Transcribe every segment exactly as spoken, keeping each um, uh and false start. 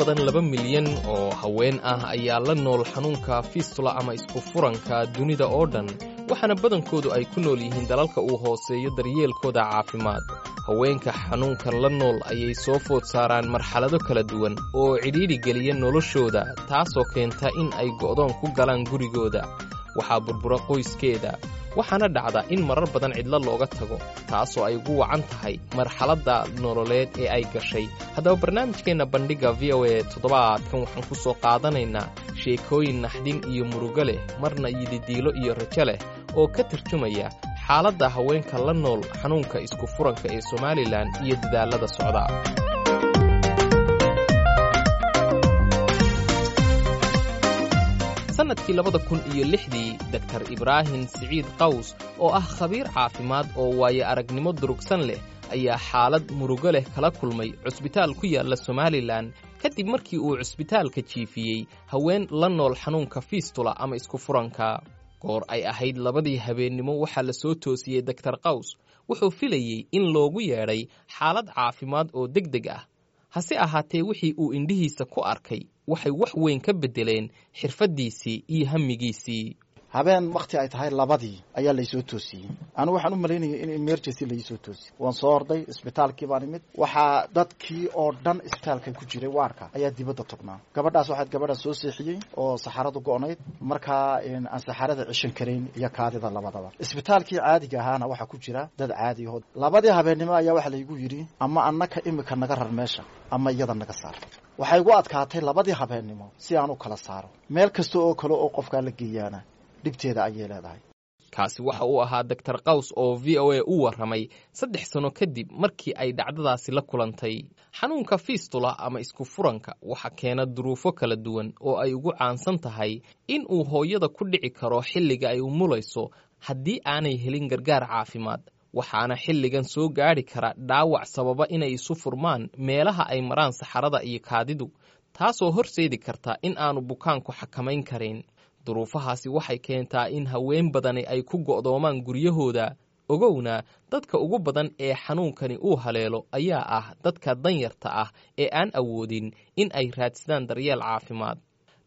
Badan laba milyan oo haween ah ayaa la nool xanuunka fistula ama isku furanka dunida oo dhan, waxaana badankoodu ay ku nool yihiin dalalka uu hooseeyo daryeelkooda caafimaad. Haweenka xanuunkan la nool ayay soo food saaraan marxalado kala duwan oo cidhiidhi geliya noloshooda, taasoo keenta in ay go'doon ku galaan gurigooda. Waxaa burbura qoyskeeda, waxaana dhacda in marar badan cidlo looga tago, taasoo ay ugu wacan tahay marxaladda nololeed ee ay gashay. Haddaba barnaamijkeenna Bandhigga V O A toddobaadkan waxaan ku soo qaadanaynaa sheekooyin naxdin iyo murugo leh, marna yididiilo iyo rajo leh, oo ka tarjumaya xaaladda haweenka la nool xanuunka isku furanka ee Somalilan iyo dadaallada socda. Sanadkii labada kun iyo lixdii, Doktar Ibraahim Siciid Qaws oo ah khabiir caafimaad oo waayo aragnimo durugsan leh ayaa xaalad murugo leh kala kulmay cusbitaal ku yaalla Somalilan, kadib markii uu cusbitaalka jiifiyey haween la nool xanuunka fistula ama isku furanka. Goor ay ahayd labadii habeennimo waxaa la soo toosiyey Doktar Qaws. Wuxuu filayey in loogu yeedhay xaalad caafimaad oo deg deg ah, hase ahaatee wixii uu indhihiisa ku arkay waxay wax weyn ka beddeleen xirfaddiisii iyo hamigiisii. Habeen wakti ay tahay labadii ayaa laysoo toosiyey. Anigu waxaan u malaynayay in emergency laisoo toosiyey. Waan soo orday, isbitaalkii baan imid. Waxaa dadkii oo dhan isbitaalka ku jiray waarka ayaa dibadda tugnaa. Gabadhaas waxaad gabadha soo seexiyey oo saxaradu go'nayd, markaa aan saxarada ceshan karayn iyo kaadida labadaba. Isbitaalkii caadiga ahaana waxaa ku jira dad caadi aho. Labadii habeennimo ayaa waxaa laygu yidhi, ama annaka imika naga rar meesha ama iyada naga saar. Waxay igu adkaatay labadii habeennimo si aan u kala saaro. Meel kasta oo kale oo qofkaa la geeyaana dhibteeda ayay leedahay. Kaasi waxa uu ahaa Doktar Qaws oo V O A u warramay saddex sano kadib markii ay dhacdadaasi la kulantay. Xanuunka fistula ama isku furanka waxa keena duruufo kala duwan oo ay ugu caansan tahay in uu hooyada ku dhici karo xilliga ay umulayso haddii aanay helin gargaar caafimaad, waxaana xilligan soo gaadhi kara dhaawac sababa inay isu furmaan meelaha ay maraan saxarada iyo kaadidu, taasoo horseedi karta in aanu bukaanku xakamayn karin. Duruufahaasi waxay keentaa in haween badani ay ku go'doomaan guryahooda. Ogowna, dadka ugu badan ee xanuunkani uu haleelo ayaa ah dadka danyarta ah ee aan awoodin in ay raadsadaan daryeel caafimaad.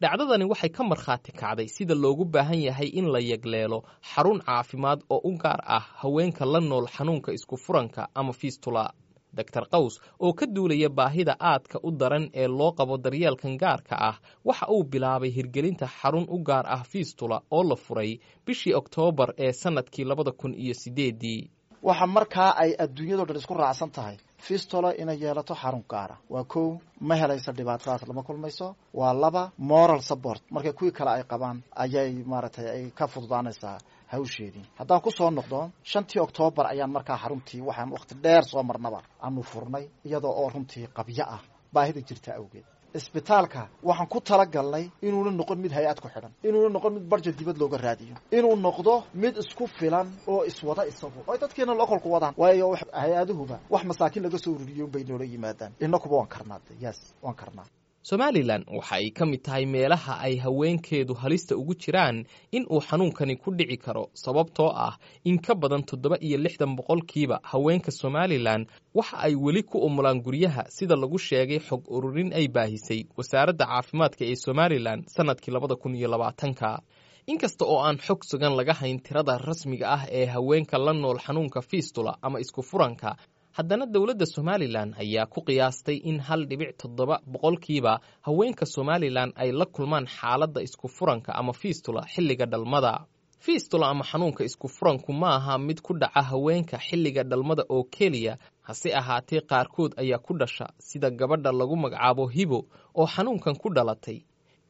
Dhacdadani waxay ka markhaati kacday sida loogu baahan yahay in la yagleelo xarun caafimaad oo u gaar ah haweenka la nool xanuunka isku furanka ama fistula. Doktar Qaws oo ka duulaya baahida aadka u daran ee loo qabo daryeelkan gaarka ah waxa uu bilaabay hirgelinta xarun u gaar ah fistula oo la furay bishii Oktoobar ee sannadkii labada kun iyo sideeddii. Waxa markaa ay adduunyado dhan isku raacsan tahay fistula inay yeelato xarun gaara. Waa kow, ma helayso dhibaatadaas, lama kulmayso. Waa laba, moral support markay kuwii kale ay qabaan ayay maaragtay ay ka fududaanaysaa hawsheedii. Haddaan ku soo noqdo, shantii Oktoobar ayaan markaa xaruntii, waxaan waqti dheer soo marnaba, aanu furnay, iyadoo oo runtii qabyo ah baahida jirta awgeed. Isbitaalka waxaan ku talagalnay inuuna noqon mid hay'ad ku xidhan, inuuna noqon mid budget dibad looga raadiyo, inuu noqdo mid isku filan oo iswada isagu oo dadkeena localku wadaan. Waayo hay'aduhuba wax masaakiin laga soo ururiyo bay noola yimaadaan. Inakuba waan karnaa, yes, waan karnaa. Somalilan waxa ay ka mid tahay meelaha ay haweenkeedu halista ugu jiraan in uu xanuunkani ku dhici karo, sababtoo ah in ka badan toddoba iyo lixdan boqolkiiba haweenka Somalilan waxa ay weli ku umulaan guryaha, sida lagu sheegay xog ururin ay baahisay wasaaradda caafimaadka ee Somalilan sannadkii labada kun iyo labaatanka. Inkasta oo aan xog sugan laga hayn tirada rasmiga ah ee haweenka la nool xanuunka fistula ama isku furanka, haddana dowladda Somalilan ayaa ku qiyaastay in hal dhibic toddoba boqolkiiba haweenka Somalilan ay la kulmaan xaaladda isku furanka ama fistula xilliga dhalmada. Fistula ama xanuunka isku furanku ma aha mid ku dhaca haweenka xilliga dhalmada oo keliya, hase ahaatee qaarkood ayaa ku dhasha, sida gabadha lagu magacaabo Hibo oo xanuunkan ku dhalatay.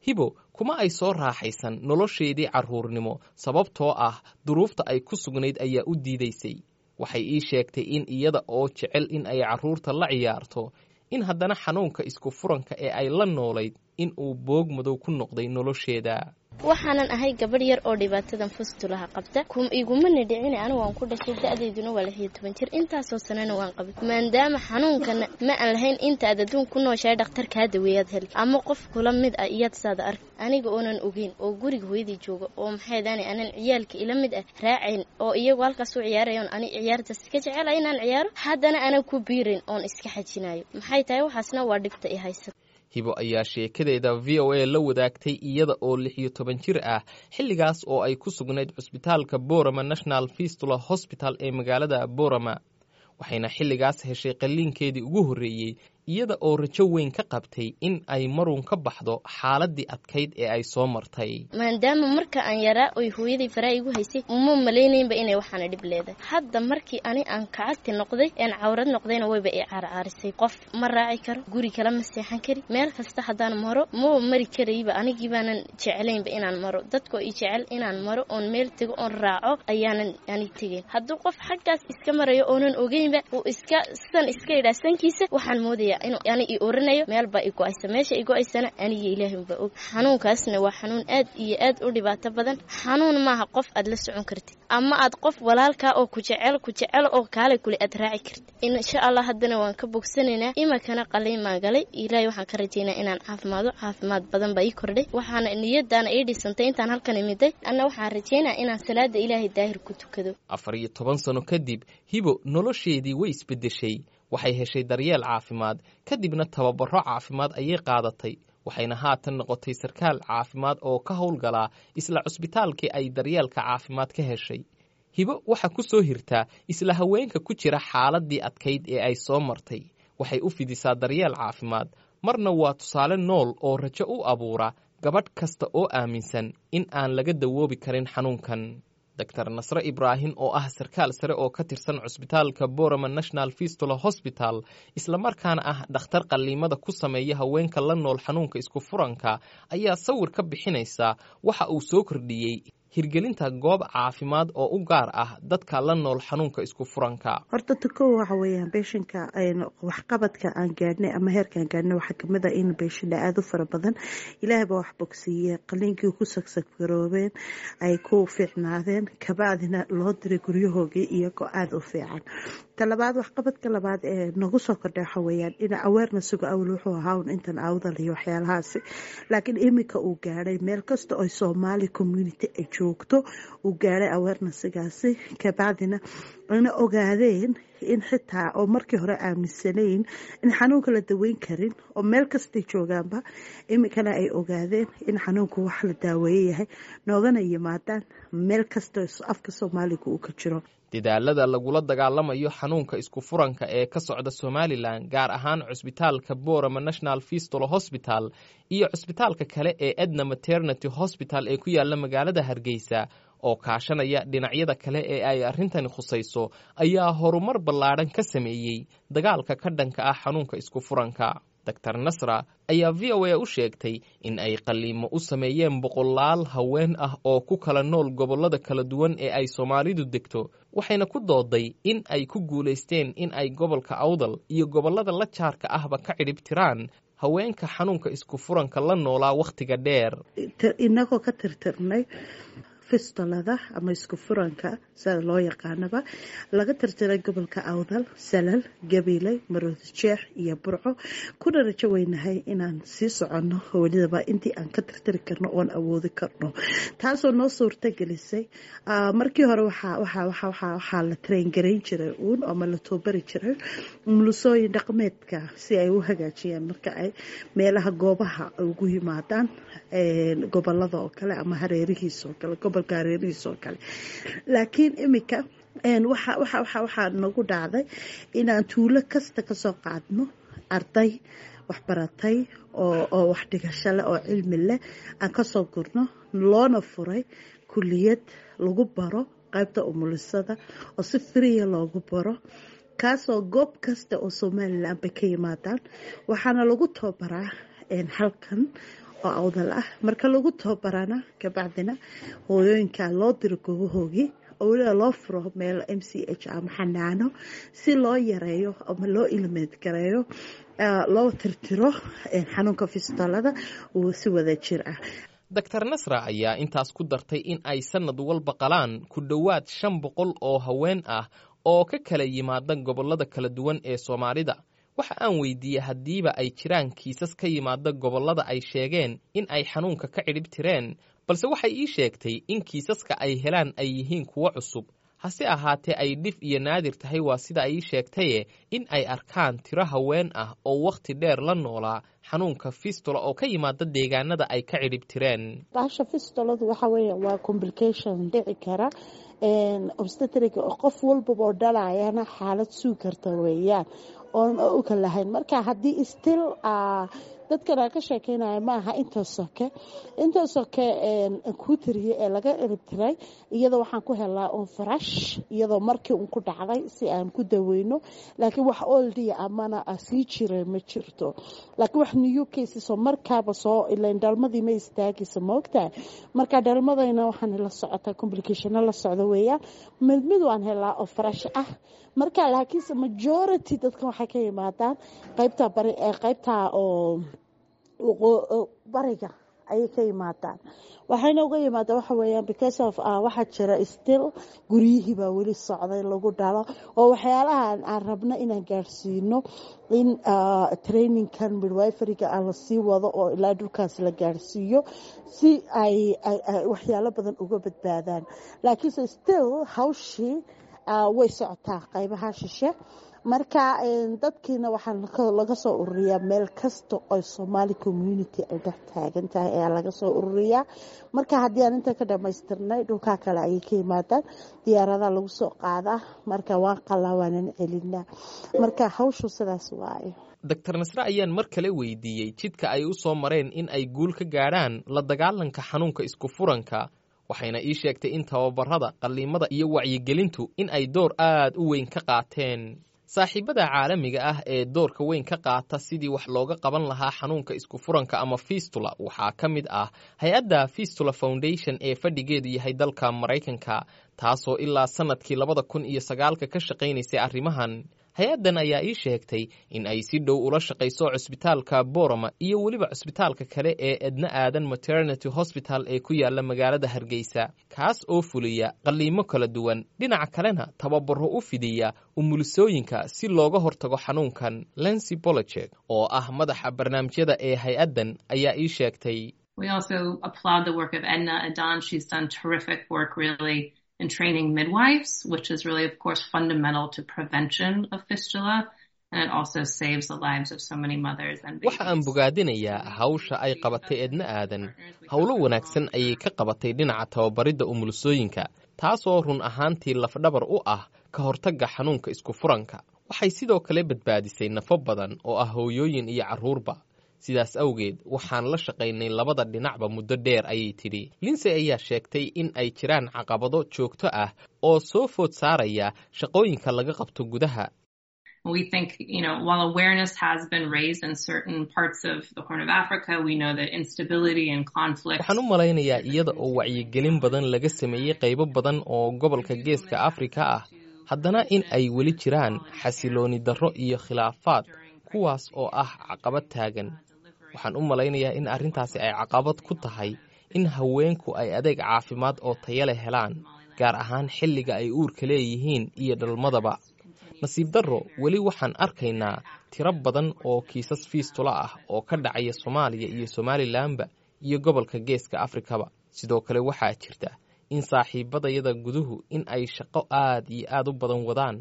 Hibo kuma ay soo raaxaysan nolosheedii carruurnimo, sababtoo ah duruufta ay ku sugnayd ayaa u diidaysay. Waxay ii sheegtay in iyada oo jecel in ay carruurta la ciyaarto, in haddana xanuunka isku furanka ee ay la noolayd in uu boog madow ku noqday nolosheeda. Waxaanan ahay gabadh yar oo dhibaatadan fistulaha qabta. Igumana dhicin, anigu waan ku dhashay, da'dayduna waa lix iyo toban jir, intaasoo sanana waan qabay. Maadaama xanuunkana ma aan lahayn, inta aad adduun ku nooshahay dhakhtar kaa daweeyaad heli ama qof kula mid ah iyaad saada ark. Aniga oonan ogeyn oo guriga hooyadii jooga oo maxaydaani anan ciyaalka ila mid ah raacayn oo iyagu halkaas u ciyaarayoon, ani ciyaartaas iska jecela inaan ciyaaro, haddana anan ku biirin oon iska xajinayo. Maxay tahay waxaasna? Waa dhibta i haysa. Hibo ayaa sheekadeeda V O A la wadaagtay iyada oo lix iyo toban jir ah, xilligaas oo ay ku sugnayd cusbitaalka Borama National Fistula Hospital ee magaalada Borama, waxayna xilligaas heshay qalliinkeedii ugu horreeyey iyada oo rajo weyn ka qabtay in ay marun ka baxdo xaaladii adkayd ee ay soo martay. Maadaama marka aan yaraa oy hooyaday faraa igu haysay, uma malaynaynba inay waxaana dhib leedahay. Hadda markii ani aan kacagti noqday een cawrad noqdayna, wayba i caarcaarisay. Qof ma raaci karo, guri kale ma seexan kari, meel kasta haddaan maro maba mari karayba. Anigii baanan jeclaynba inaan maro, dadkoo i jecel inaan maro oon meel tego oon raaco ayaanan ani tegayn. Hadduu qof xaggaas iska marayo oonan ogeynba, uu iska san iska idhaa sankiisa, waxaan moodaya inuu ani i oranayo meel baa i go-aysa. Meesha i go-aysana aniga Ilaahay unbaa og. Xanuunkaasna waa xanuun aad iyo aad u dhibaato badan. Xanuun maaha qof aad la socon kartid ama aad qof walaalkaa oo ku jecel ku jecel oo kaale kule aad raaci kartid. Insha Allah haddana waan ka bogsanaynaa. Imakana qaliin baan galay. Ilaahay waxaan ka rajaynaa inaan caafimaado. Caafimaad badan baa ii kordhay, waxaana niyadaana ii dhisantay intaan halkan imiday. Anna waxaan rajaynaa inaan salaada Ilaahay daahir ku tukado. Afar iyo toban sano kadib, Hibo nolosheedii way isbeddeshay. Waxay heshay daryeel caafimaad, kadibna tababaro caafimaad ayay qaadatay, waxayna haatan noqotay sarkaal caafimaad oo ka howlgalaa isla cusbitaalkii ay daryeelka caafimaad ka heshay. Hibo waxaa ku soo hirtaa isla haweenka ku jira xaaladii adkayd ee ay soo martay. Waxay u fidisaa daryeel caafimaad, marna waa tusaale nool oo rajo u abuura gabadh kasta oo aaminsan in aan laga dawoobi karin xanuunkan. Doctor Nasre Ibraahim oo ah sarkaal sare oo ka tirsan cusbitaalka Borama National Fistula Hospital, islamarkaana ah dhakhtar qalliimada ku sameeya haweenka la nool xanuunka isku furanka, ayaa sawir ka bixinaysa waxa uu soo kordhiyey hirgelinta goob caafimaad oo u gaar ah dadka la nool xanuunka isku furanka. Horta tukow waxa weeyaan beeshinka waxqabadka aan gaadhnay ama heerkaan gaadhnay waxaa kamid ah in beeshina aada u fara badan Ilaahay baa wax bogsiiye qaliinkii ku sagsagroobeen, ay ku fiicnaadeen, kabacdina loo diray guryahoogii iyagoo aada u fiican. Talabaad, waxqabadka labaad ee nagu soo kordhay waxa weeyaan in awareness-uga awal wuxuu ahaa un intan Awdal iyo waxyaalahaasi, laakiin iminka uu gaadhay meel kasta oo Soomaali community ay joogto uu gaadhay awareness-gaasi, kabacdina ayna ogaadeen in xitaa oo markii hore aaminsanayn in xanuunka la daweyn karin oo meel kastay joogaanba, iminkana ay ogaadeen in xanuunku wax la daaweeye yahay, noogana yimaadaan meel kasta afka Soomaaliga uu ka jiro. Dadaalada lagula dagaalamayo xanuunka isku furanka ee ka socda Somalilan, gaar ahaan cusbitaalka Borama National Fistula Hospital iyo cusbitaalka kale ee Edna Maternity Hospital ee ku yaala magaalada Hargeysa, oo kaashanaya dhinacyada kale ee ay arrintani khusayso, ayaa horumar ballaadhan ka sameeyey dagaalka ka dhanka ah xanuunka isku furanka. Doctor Nasra ayaa V O A u sheegtay in ay qalliimo u sameeyeen boqolaal haween ah oo ku kala nool gobollada kala duwan ee ay Soomaalidu degto, waxayna ku dooday in ay ku guulaysteen in ay gobolka Awdal iyo gobollada la jaarka ahba ka cidhib tiraan haweenka xanuunka isku furanka la noolaa wakhtiga dheer. Inagoo ka tirtirnay fistulada ama isku furanka sida loo yaqaanaba, laga tirtiray gobolka Awdal, Salal, Gabiley, Maroodijeex iyo Burco, kuna rajo weynahay inaan sii soconno welidaba intii aan ka tirtiri karno oon awoodi karno, taasoo noo suurta gelisay. Markii hore waxaa la train garayn jiray uun ama la toobari jiray umulisooyin dhaqameedka si ay u hagaajiyaan marka ay meelaha goobaha ugu yimaadaan gobolada oo kale ama hareerihiisa oo kale, gobolka hareerihiisa oo kale. Laakiin iminka waxaa nagu dhacday inaan tuulo kasta kasoo qaadno arday waxbaratay oo wax dhigasho leh oo cilmi leh aan kasoo gurno, loona furay kuliyad lagu baro qaybta umulisada oo si free ah loogu baro, kaasoo goob kasta oo Somalilan bay ka yimaadaan. Waxaana lagu tababaraa halkan oo Awdal ah. Marka lagu tababarana kabacdina hooyooyinka loo diro goobahoogii oo weliba loo furo meel M C H ama xanaano si loo yareeyo ama loo eliminate gareeyo, loo tirtiro xanuunka fistulada si wada jir ah. Doctor Nasra ayaa intaas ku dartay in ay sanad walba qalaan ku dhowaad shan boqol oo haween ah oo ka kala yimaada gobollada kala duwan ee Soomaalida. Waxa aan weydiiyey haddiiba ay jiraan kiisas ka yimaada gobollada ay sheegeen in ay xanuunka ka cidhib tireen, balse waxay ii sheegtay in kiisaska ay helaan ay yihiin kuwo cusub. Hase ahaatee ay dhif iyo naadir tahay, waa sida ay ii sheegtaye, in ay arkaan tiro haween ah oo wakhti dheer la noolaa xanuunka fistula oo ka yimaada deegaanada ay ka cidhib tireen. Bahasha fistuladu waxa weeye waa complication dhici kara obstetric, qof walbaba oo dhalayana xaalad sugi karta weeyaan oon u kala lahayn. Marka haddii still dadkan aan ka sheekeynaya maaha inta soke inta soke kuu tiriyay ee laga ciribtiray, iyadoo waxaan ku helnaa un fresh, iyadoo markii un ku dhacday si aan ku daweyno, laakiin wax oldia amana sii jiray ma jirto. Laakiin wax new cases oo markaaba soo ilayn dhalmadii ma istaagaysa, maogtahay? Marka dhalmadayna waxaan la socotaa complicationo la socdo weeyaan. Mid mid waan helaa oo fresh ah marka, laakiinse majority dadkan waxay ka yimaadaan qaybta bari, qaybta oo bariga ayay ka yimaadaan. Waxayna uga yimaadaan waxa weeyaan because of waxaa jira still guryihii baa weli socday lagu dhalo, oo waxyaalahan aan rabno inaan gaadhsiino in trainingkan midwiferyga aan lasii wado oo ilaa dhulkaas la gaadhsiiyo si ay waxyaalo badan uga badbaadaan. Laakiinse still hawshii way socotaa qaybaha shishe. Marka dadkiina waxaa laga soo ururiyaa meel kasta oo Somali community ay dhex taagan tahay ayaa laga soo ururiyaa. Marka haddii aan inta ka dhamaystirnay, dhulkaa kale ayay ka yimaadaan, diyaaradaha lagu soo qaadaa. Marka waan qalaa, waanan celinaa. Marka hawshu sidaas waaye. Doctor Nasre ayaan mar kale weydiiyey jidka ay u soo mareen in ay guul ka gaadhaan la dagaalanka xanuunka isku furanka, waxayna ii sheegtay in tababarada, qalliimada iyo wacyigelintu in ay door aad u weyn ka qaateen. Saaxiibada caalamiga ah ee doorka weyn ka qaata sidii wax looga qaban lahaa xanuunka isku furanka ama fistula waxaa ka mid ah hay-adda Fistula Foundation ee fadhigeedu yahay dalka Maraykanka, taasoo ilaa sannadkii labada kun iyo sagaalka ka shaqaynaysay arrimahan. Hay-addan ayaa ii sheegtay in ay si dhow ula shaqayso cusbitaalka Borama iyo weliba cusbitaalka kale ee Edna Aadan Maternity Hospital ee ku yaala magaalada Hargeysa, kaas oo fuliya qalliimo kala duwan, dhinaca kalena tababaro u fidiya umulisooyinka si looga hortago xanuunkan. Lency Bolojek oo ah madaxa barnaamijyada ee hay-addan ayaa ii sheegtay: We also applaud the work of Edna Adan. She's done terrific work really in training midwives, which is really, of course, fundamental to prevention of fistula. And it also saves the lives of so many mothers and babies. Waxa aan bogaadinayaa hawsha ay qabatay Edna Aadan. Howlo wanaagsan ayay ka qabatay dhinaca tababaridda umulisooyinka, taasoo run ahaantii lafdhabar u ah ka hortagga xanuunka isku furanka. Waxay sidoo kale badbaadisay nafo badan oo ah hooyooyin iyo carruurba. Sidaas awgeed waxaan la shaqaynay labada dhinacba muddo dheer, ayay tidhi. Linsey ayaa sheegtay in ay jiraan caqabado joogto ah oo soo food saaraya shaqooyinka laga qabto gudaha. We think, you know, while awareness has been raised in certain parts of the Horn of Africa, we know that instability and conflict. Waxaan u malaynayaa iyada oo wacyigelin badan laga sameeyey qaybo badan oo gobolka Geeska Afrika ah, haddana in ay weli jiraan xasilooni darro iyo khilaafaad, kuwaas oo ah caqabad taagan. Waxaan u malaynayaa in arrintaasi ay caqabad ku tahay in haweenku ay adeeg caafimaad oo taya leh helaan, gaar ahaan xilliga ay uurka leeyihiin iyo dhalmadaba. Nasiib darro, weli waxaan arkaynaa tiro badan oo kiisas fistula ah oo ka dhacaya Soomaaliya iyo Somalilanba iyo gobolka Geeska Afrikaba. Sidoo kale waxaa jirta in saaxiibadayada guduhu in ay shaqo aad iyo aad u badan wadaan,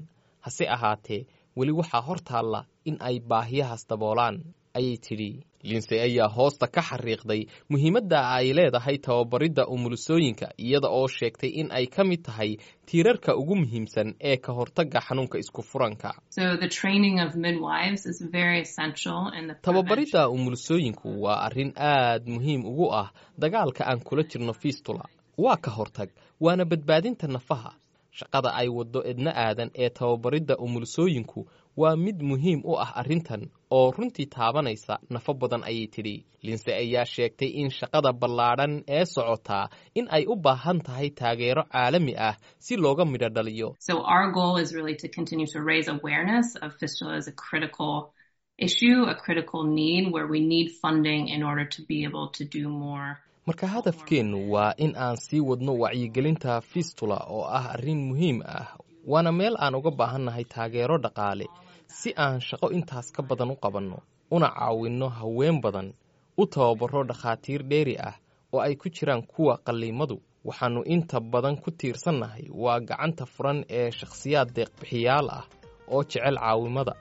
hase ahaatee weli waxaa hor taalla in ay baahiyahaas daboolaan, ayay tidhi. Linsey ayaa hoosta ka xariiqday muhiimadda ay leedahay tababaridda umulisooyinka, iyada oo sheegtay in ay ka mid tahay tiirarka ugu muhiimsan ee ka hortagga xanuunka isku furanka. Tababaridda umulisooyinku waa arrin aad muhiim ugu ah dagaalka aan kula jirno fistula. Waa ka hortag, waana badbaadinta nafaha. Shaqada ay waddo Edna Aadan ee tababaridda umulisooyinku waa mid muhiim u ah arrintan oo runtii taabanaysa nafo badan, ayay tidhi. Linsey ayaa sheegtay in shaqada ballaadhan ee socotaa in ay u baahan tahay taageero caalami ah si looga midho dhaliyo. So our goal is really to continue to raise awareness of fistula as a critical issue, a critical need where we need funding in order to be able to do more. Marka hadafkeennu waa in aan sii wadno wacyigelinta fistula oo ah arrin muhiim ah, waana meel aan uga baahannahay taageero dhaqaale si aan shaqo intaas ka badan u qabanno, una caawinno haween badan, u tababaro dhakhaatiir dheeri ah oo ay ku jiraan kuwa qalliimadu. Waxaannu inta badan ku tiirsannahay waa gacanta furan ee shakhsiyaad deeqbixiyaal ah oo jecel caawimada.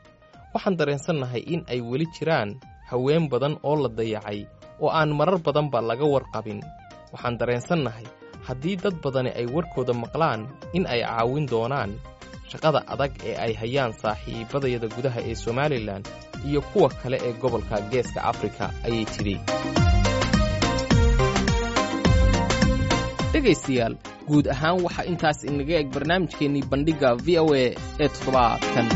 Waxaan dareensannahay in ay weli jiraan haween badan oo la dayacay oo aan marar badanba laga warqabin. Waxaan dareensannahay haddii dad badani ay warkooda maqlaan in ay caawin doonaan. Shaqada adag ee ay hayaan saaxiibadayada gudaha ee Somalilan iyo kuwa kale ee gobolka Geeska Afrika, ayay tidhi. Dhegaystayaal, guud ahaan waxaa intaas inaga eg barnaamijkeennii Bandhigga V O A ee toddobaadkan.